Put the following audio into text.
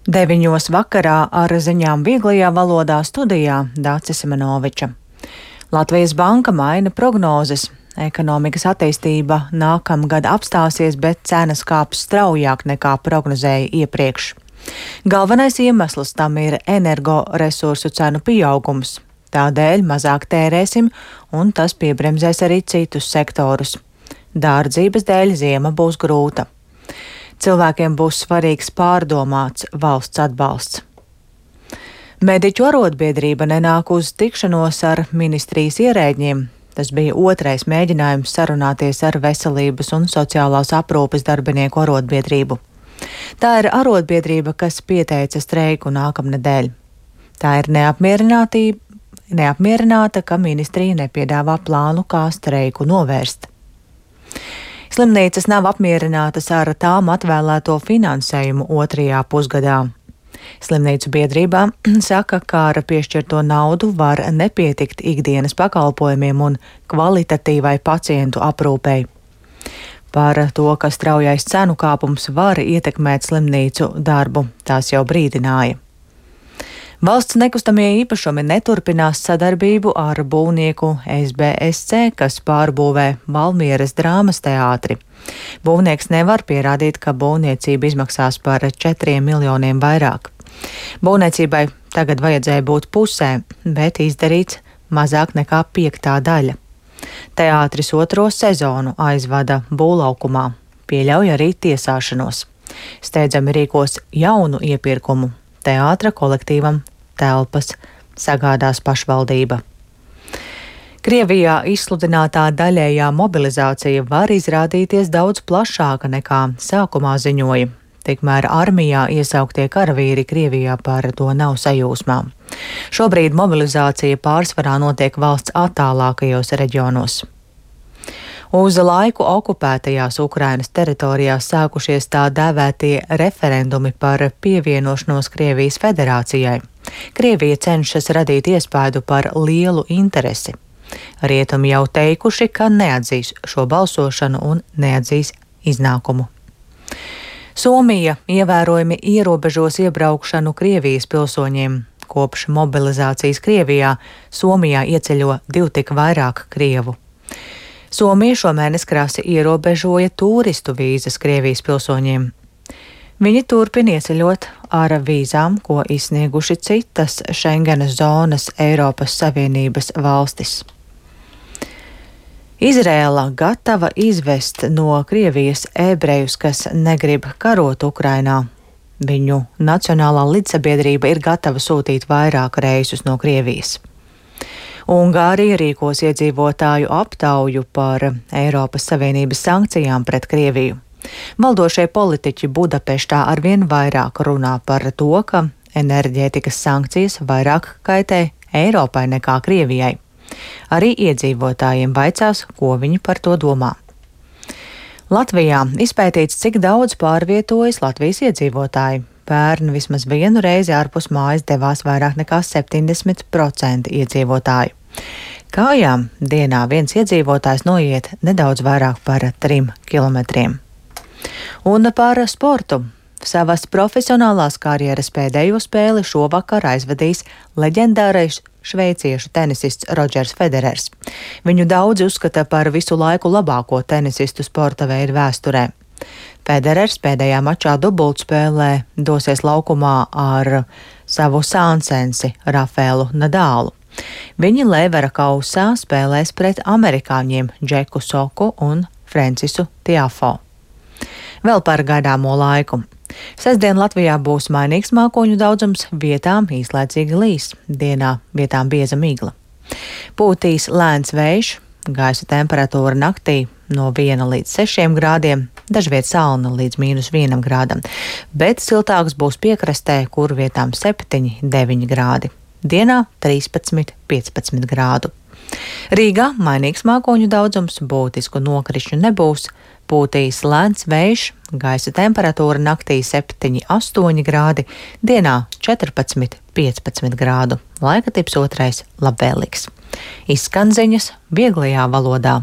9 vakarā ar ziņām vieglajā valodā studijā Dācis Simenoviča. Latvijas Banka maina prognozes. Ekonomikas attīstība nākamgad apstāsies, bet cenas kāps straujāk nekā prognozēja iepriekš. Galvenais iemesls tam ir energoresursu cenu pieaugums. Tādēļ mazāk tērēsim, un tas piebremzēs arī citus sektorus. Dārdzības dēļ ziema būs grūta. Cilvēkiem būs svarīgs pārdomāts valsts atbalsts. Mediķu arotbiedrība nenāk uz tikšanos ar ministrijas ierēģiem. Tas bija otrais mēģinājums sarunāties ar Veselības un sociālās aprūpes darbinieku arotbiedrību. Tā ir arotbiedrība, kas pieteica streiku nākamnedēļ. Tā ir neapmierināta, ka ministrija nepiedāvā plānu, kā streiku novērst. Slimnīcas nav apmierinātas ar tām atvēlēto finansējumu otrajā pusgadā. Slimnīcu biedrībā saka, ka ar piešķirto naudu var nepietikt ikdienas pakalpojumiem un kvalitatīvai pacientu aprūpei. Par to, ka straujais cenu kāpums var ietekmēt slimnīcu darbu, tās jau brīdināja. Valsts nekustamie īpašumi neturpinās sadarbību ar būvnieku SBSC, kas pārbūvē Valmieras drāmas teātri. Būvnieks nevar pierādīt, ka būvniecība izmaksās par 4 miljoniem vairāk. Būvniecībai tagad vajadzēja būt pusē, bet izdarīts mazāk nekā 5. daļa. Teātris 2. sezonu aizvada būvlaukumā, pieļauj arī tiesāšanos. Steidzami rīkos jaunu iepirkumu. Teātra kolektīvam telpas sagādās pašvaldība. Krievijā izsludinātā daļējā mobilizācija var izrādīties daudz plašāka nekā sākumā ziņoja. Tikmēr armijā iesauktie karavīri Krievijā par to nav sajūsmā. Šobrīd mobilizācija pārsvarā notiek valsts attālākajos reģionos. Uz laiku okupētajās Ukrainas teritorijās sākušies tā dēvētie referendumi par pievienošanos Krievijas federācijai. Krievija cenšas radīt iespaidu par lielu interesi. Rietumi jau teikuši, ka neatzīs šo balsošanu un neatzīs iznākumu. Somija ievērojami ierobežos iebraukšanu Krievijas pilsoņiem. Kopš mobilizācijas Krievijā Somijā ieceļo 2 tik vairāk krievu. Somija šomēnes krasi ierobežoja turistu vīzas Krievijas pilsoņiem. Viņi turpina ieceļot ar vīzām, ko izsnieguši citas Schengenas zonas Eiropas Savienības valstis. Izrēla gatava izvest no Krievijas ebrejus, kas negrib karot Ukrainā. Viņu nacionālā līdzsabiedrība ir gatava sūtīt vairāk reisus no Krievijas. Ungārija rīkos iedzīvotāju aptauju par Eiropas Savienības sankcijām pret Krieviju. Valdošie politiķi Budapeštā arvien vairāk runā par to, ka enerģētikas sankcijas vairāk kaitē Eiropai nekā Krievijai. Arī iedzīvotājiem vaicās, ko viņi par to domā. Latvijā izpētīts, cik daudz pārvietojas Latvijas iedzīvotāji. Pērn vismaz vienu reizi ārpus mājas devās vairāk nekā 70% iedzīvotāju. Kājām dienā viens iedzīvotājs noiet nedaudz vairāk par 3 kilometriem. Un par sportu. Savas profesionālās karjeras pēdējo spēli šovakar aizvadīs leģendārais šveiciešu tenisists Rodžers Federers. Viņu daudzi uzskata par visu laiku labāko tenisistu sporta veidu vēsturē. Federers pēdējā mačā dubultspēlē dosies laukumā ar savu sāncensi Rafaelu Nadālu. Viņi Levera kausā spēlēs pret amerikāņiem Džeku Soku un Francisu Tiafo. Vēl par gaidāmo laiku. Sestdien Latvijā būs mainīgs mākoņu daudzums, vietām īslaicīgi līs, dienā vietām bieza migla. Pūtīs lēns vējš, gaisa temperatūra naktī no 1 līdz 6 grādiem, dažviet salna līdz -1 grādam, bet siltāks būs piekrastē, kur vietām 7–9 grādi. Dienā 13–15 grādu. Rīgā mainīgs mākoņu daudzums, būtisku nokrišņu nebūs, pūtīs lēns vējš, gaisa temperatūra naktī 7–8 grādi, dienā 14–15 grādu. Laika tips 2 labvēlīgs. Izskan ziņas vieglajā valodā.